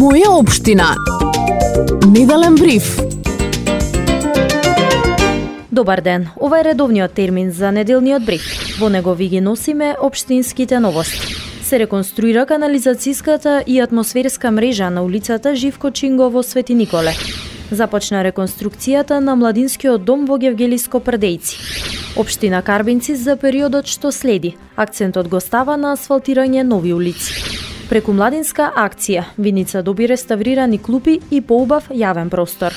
Моја општина. Неделен бриф. Добар ден, ова е редовниот термин за неделниот бриф. Во него ви ги носиме општинските новости. Се реконструира канализацијската и атмосферска мрежа на улицата Живко Чинго во Свети Николе. Започна реконструкцијата на младинскиот дом во Гевгелиско Прдејци. Општина Карбинци за периодот што следи. Акцентот го става на асфалтирање нови улици. Преку младинска акција, Виница доби реставрирани клупи и поубав јавен простор.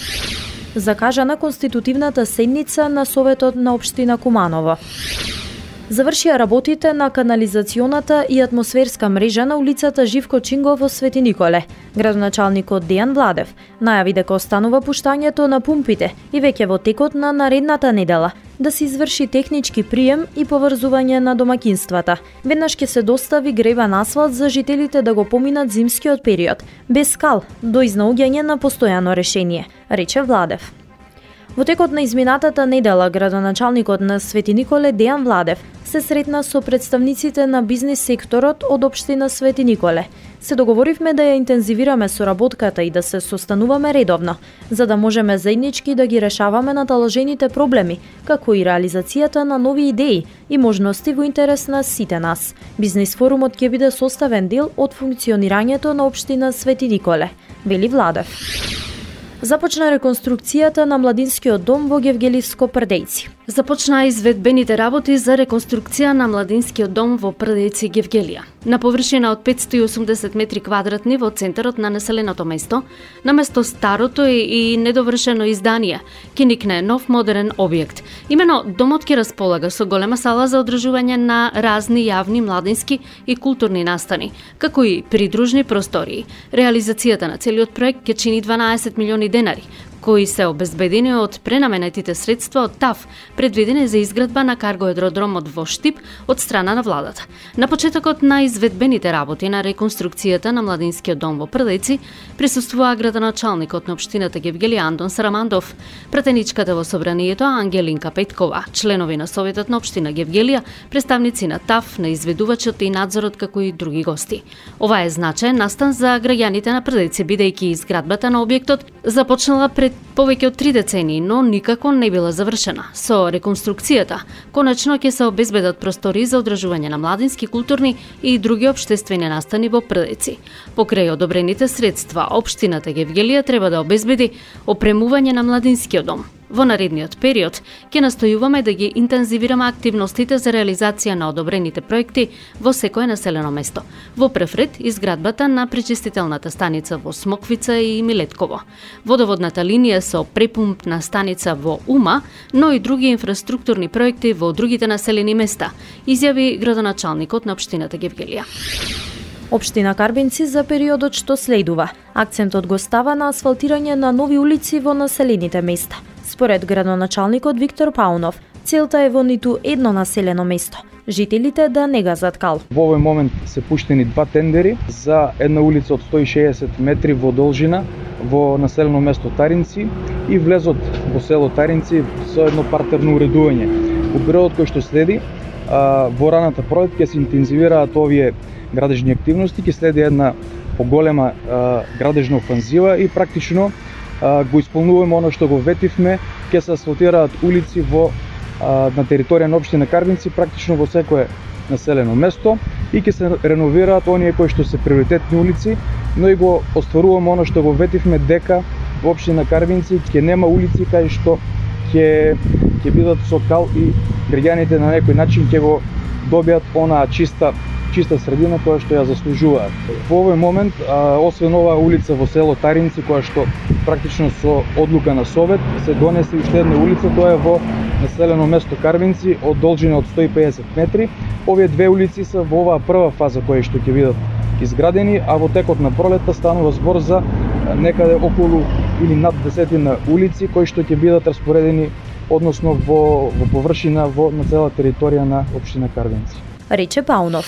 Закажана конститутивната седница на Советот на општина Куманово. Завршија работите на канализационата и атмосферска мрежа на улицата Живко Чинго во Свети Николе. Градоначалникот Дејан Владев најави дека останува пуштањето на пумпите и веќе во текот на наредната недела да се изврши технички прием и поврзување на домаќинствата. Веднаш ќе се достави гребан асфалт за жителите да го поминат зимскиот период, без скал, до изнаоѓање на постојано решение, рече Владев. Во текот на изминатата недела, градоначалникот на Свети Николе Дејан Владев се сретна со представниците на бизнис секторот од општина Свети Николе. Се договоривме да ја интензивираме соработката и да се состануваме редовно, за да можеме заеднички да ги решаваме наталожените проблеми, како и реализацијата на нови идеи и можности во интерес на сите нас. Бизнис форумот ќе биде составен дел од функционирањето на општина Свети Николе, вели Владев. Започна реконструкцијата на младинскиот дом во Гевгелиско Прдејци. Започнаа изведбените работи за реконструкција на младинскиот дом во Прдејци Гевгелија. На површина од 580 метри квадратни во центарот на населеното место, наместо старото и недовршено издание, ќе никне нов модерен објект. Имено домот ќе располага со голема сала за одржување на разни јавни младински и културни настани, како и придружни простории. Реализацијата на целиот проект ќе чини 12 милиони денари, кои се обезбедени од пренаменетите средства од ТАФ, предвидени за изградба на каргоаеродромот во Штип од страна на владата. На почетокот на изведбените работи на реконструкцијата на младинскиот дом во Прдејци присуствува градоначалникот на општината Гевгелија Андон Сарамандов, пратеничката во собранието Ангелинка Петкова, членови на Советот на општина Гевгелија, представници на ТАФ, на изведувачот и надзорот, како и други гости. Ова е значаен настан за граѓаните на Прдејци, бидејќи изградбата на објектот започнала пред повеќе од 3 децении, но никако не била завршена. Со реконструкцијата, конечно ќе се обезбедат простори за одржување на младински, културни и други општествени настани во Прдејци. Покрај одобрените средства, општината Гевгелија треба да обезбеди опремување на младинскиот дом. Во наредниот период ќе настојуваме да ги интензивираме активностите за реализација на одобрените проекти во секое населено место. Во прв ред изградбата на пречистителната станица во Смоквица и Милетково, водоводната линија со препумпна станица во Ума, но и други инфраструктурни проекти во другите населени места, изјави градоначалникот на општината Гевгелија. Општина Карбинци за периодот што следува. Акцентот го става на асфалтирање на нови улици во населените места. Според градоначалникот Виктор Паунов, целта е во ниту едно населено место жителите да не газат кал. Во овој момент се пуштени 2 тендери за една улица од 160 метри во должина во населено место Таринци и влезот во село Таринци со едно партерно уредување. Во периодот кој што следи, во раната пролет ќе се интензивираат овие градежни активности, ќе следи една поголема градежна офанзива и практично го исполнуваме оно што го ветивме, ќе се асфалтираат улици на територија на општина Карбинци, практично во секое населено место и ќе се реновираат оние кои што се приоритетни улици, но и го остваруваме оно што го ветивме дека во општина Карбинци ќе нема улици кај што ќе бидат со кал и граѓаните на некој начин ќе го добијат онаа чиста средина која што ја заслужуваат. Во овој момент, освен оваа улица во село Таринци, која што практично со одлука на Совет се донесе уште една улица, тоа е во населено место Карбинци од должина од 150 метри. Овие 2 улици се во оваа прва фаза кои што ќе бидат изградени, а во текот на пролетта станува збор за некаде околу или над 10 улици кои што ќе бидат распоредени односно во површина на цела територија на општина Карбинци. Рече Паунов.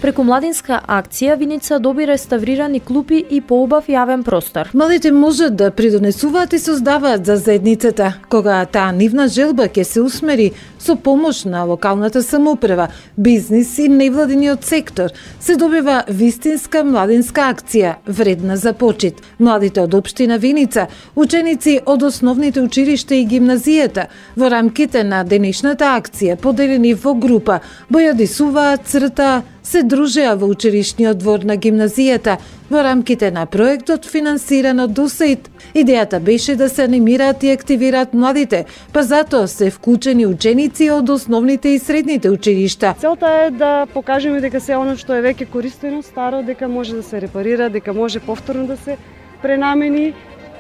Преку младинска акција Виница доби реставрирани клупи и поубав јавен простор. Младите можат да придонесуваат и создаваат за заедницата, кога таа нивна желба ќе се усмери со помош на локалната самоуправа, бизнис и невладиниот сектор, се добива вистинска младинска акција, вредна за почит. Младите од општина Виница, ученици од основните училишта и гимназијата, во рамките на денешната акција, поделени во група, бојадисуваат, црта, се дружеа во училишниот двор на гимназијата во рамките на проектот финансиран од УСАИД. Идејата беше да се анимираат и активираат младите, па затоа се вклучени ученици од основните и средните училишта. Целта е да покажеме дека се оно што е веќе користено, старо, дека може да се репарира, дека може повторно да се пренамени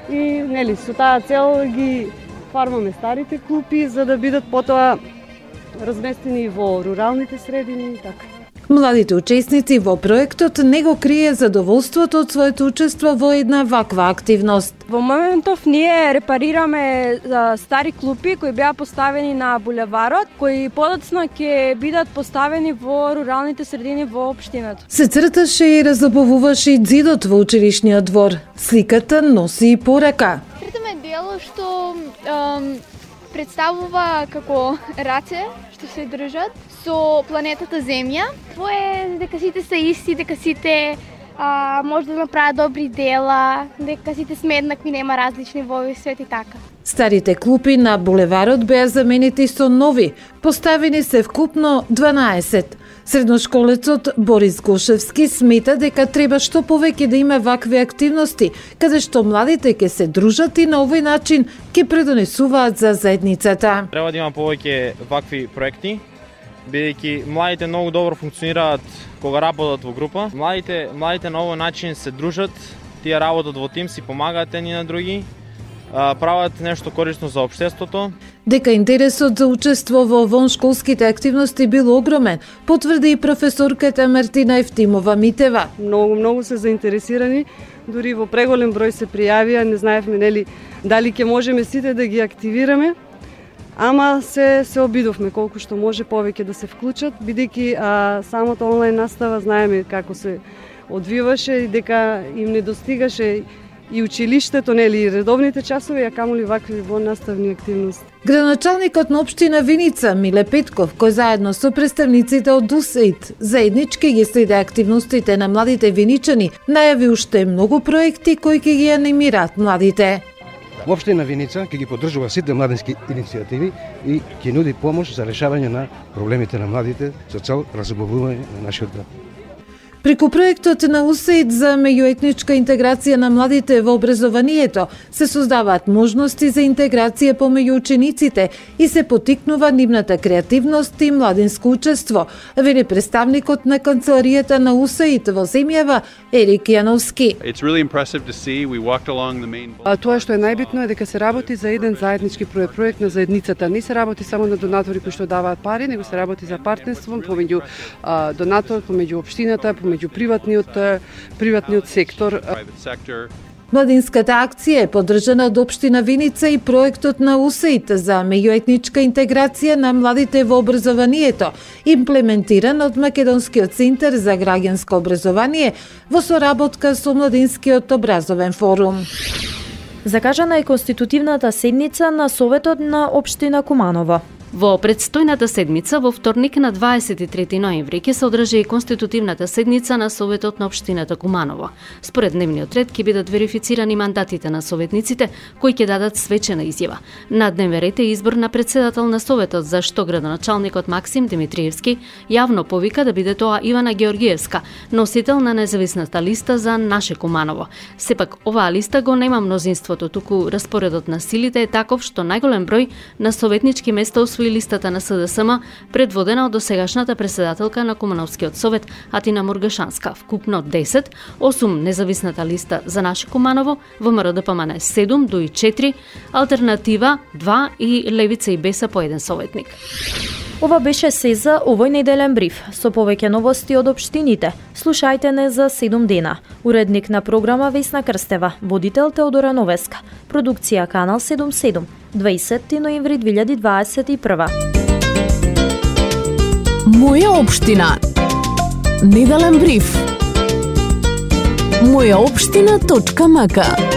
и нели со таа цел ги фармаме старите клупи за да бидат потоа разместени во руралните средини и така. Младите учесници во проектот не го крие задоволството од своето учество во една ваква активност. Во моментов ние репарираме стари клупи кои беа поставени на булеварот, кои подоцна ќе бидат поставени во руралните средини во општината. Се црташе и разобуваше и ѕидот во училишниот двор. Сликата носи и порака. Цртаме дело што представува како раце што се држат со планетата Земја. Тоа е дека сите се исти, дека сите може да направат добри дела, дека сите сме еднакви, нема различни во овој свет и така. Старите клупи на булеварот беа заменети со нови, поставени се вкупно 12. Средношколецот Борис Гошевски смета дека треба што повеќе да има вакви активности, каде што младите ќе се дружат и на овој начин ќе предонесуваат за заедницата. Треба да има повеќе вакви проекти, бидејќи младите многу добро функционираат кога работат во група. Младите на овој начин се дружат, тие работат во тим, си помагаат едни на други, прават нешто корисно за општеството. Дека интересот за учество во воншколските активности бил огромен, потврди и професорката Мартина Евтимова Митева. Многу се заинтересирани, дури во преголем број се пријавија, не знаевме нели дали ќе можеме сите да ги активираме. Ама се обидовме колку што може повеќе да се вклучат, бидејќи самото онлайн настава знаеме како се одвиваше и дека им не достигаше и училиштето, нели и редовните часови, а камоли вакви воннаставни активности. Градоначалникот на општина Виница Миле Петков, кој заедно со представниците од УСАИД заеднички ги следи активностите на младите виничани, најави уште многу проекти кои ќе ги анимираат младите. Во општина Виница ќе ги поддржува сите младински иницијативи и ќе нуди помош за решавање на проблемите на младите со цел разобувување на нашиот град. Преку проектот на УСАИД за меѓуетничка интеграција на младите во образованието се создаваат можности за интеграција помеѓу учениците и се поттикнува нивната креативност и младинско учество, вели представникот на канцеларијата на УСАИД во земјава Ерик Јановски. Тоа што е најбитно е дека се работи за еден заеднички проект на заедницата. Не се работи само на донатори кои што даваат пари, него се работи за партнерство помеѓу донатор, помеѓу општината, меѓу приватниот сектор. Младинската акција е поддржана од општина Виница и проектот на УСАИД за меѓуетничка интеграција на младите во образованието, имплементиран од Македонскиот центар за граѓанско образование во соработка со Младинскиот образовен форум. Закажана е конститутивната седница на Советот на општина Куманово. Во предстојната седмица, во вторник на 23 ноември, ќе се одржи и конститутивната седница на Советот на општината Куманово. Според дневниот ред ќе бидат верифицирани мандатите на советниците, кои ќе дадат свечена изјава. На дневен ред е избор на председател на Советот, за што градоначалникот Максим Димитриевски јавно повика да биде тоа Ивана Георгиевска, носител на независната листа за Наше Куманово. Сепак, оваа листа го нема мнозинството, туку распоредот на силите е таков што најголем број на советнички места освои листата на СДСМ, предводена од досегашната председателка на Кумановскиот совет Атина Мургашанска, вкупно 10, 8 независната листа за Наше Куманово, ВМРО ДПМН 7, ДУИ 4, Алтернатива 2 и Левица и Беса по еден советник. Ова беше се за овој неделен бриф. Со повеќе новости од општините, слушајте не за 7 дена. Уредник на програма Весна Крстева, водител Теодора Новеска, продукција Канал 77, 20 ноември 2021. Моја општина. Неделен бриф. Мојаопштина.мк